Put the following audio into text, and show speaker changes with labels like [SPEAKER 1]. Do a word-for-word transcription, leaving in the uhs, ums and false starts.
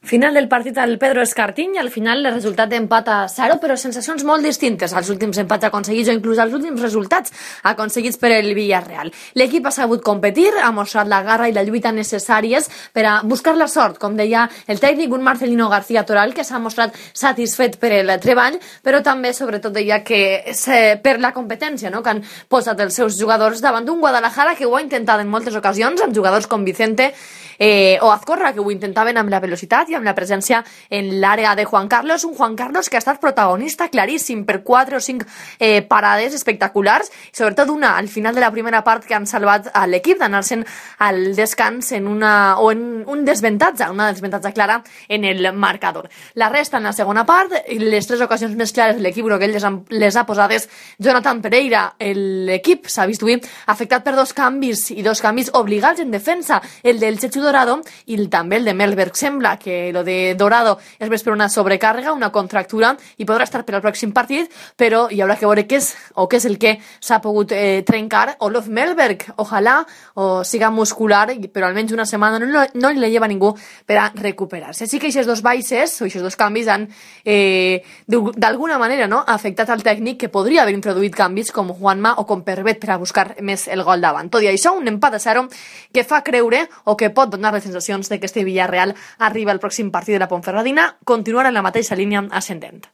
[SPEAKER 1] Final del partit al Pedro Escartín i al final el resultat d'empat a zero, però sensacions molt distintes als últims empats aconseguits o inclús als últims resultats aconseguits per el Villarreal. L'equip ha sabut competir, ha mostrat la garra i la lluita necessàries per a buscar la sort, com deia el tècnic, un Marcelino García Toral que s'ha mostrat satisfet per el treball, però també sobretot deia que és per la competència, no?, que han posat els seus jugadors davant d'un Guadalajara que ho ha intentat en moltes ocasions, amb jugadors com Vicente eh, o Azcorra, que ho intentaven amb la velocitat i amb la presència en l'àrea de Juan Carlos, un Juan Carlos que ha estat protagonista claríssim per quatre o cinc eh, parades espectaculars, i sobretot una al final de la primera part que han salvat a l'equip d'anar-se'n al descans en una, o en un desventatge, una desventatge clara en el marcador. La resta en la segona part, les tres ocasions més clares de l'equip groguell les, les ha posades Jonathan Pereira. L'equip s'ha vist avui afectat per dos canvis i dos canvis obligats en defensa, el del Chechu Dorado i el, també el de Melberg. Sembla que lo de Dorado és més per una sobrecàrrega, una contractura, i podrà estar per al pròxim partit, però hi haurà que veure què és o què és el que s'ha pogut eh, trencar. Olof Melberg, ojalà o siga muscular, però almenys una setmana no, no li lleva ningú per a recuperar-se. Així que aquests dos baixes o aquests dos canvis han eh, d'alguna manera, no?, afectat al tècnic, que podria haver introduït canvis com Juanma o com Pervet per a buscar més el gol davant. Tot i això, un empat a zero que fa creure o que pot donar les sensacions de que este Villarreal arriba al pròxim partit de la Ponferradina, continuar en la mateixa línia ascendent.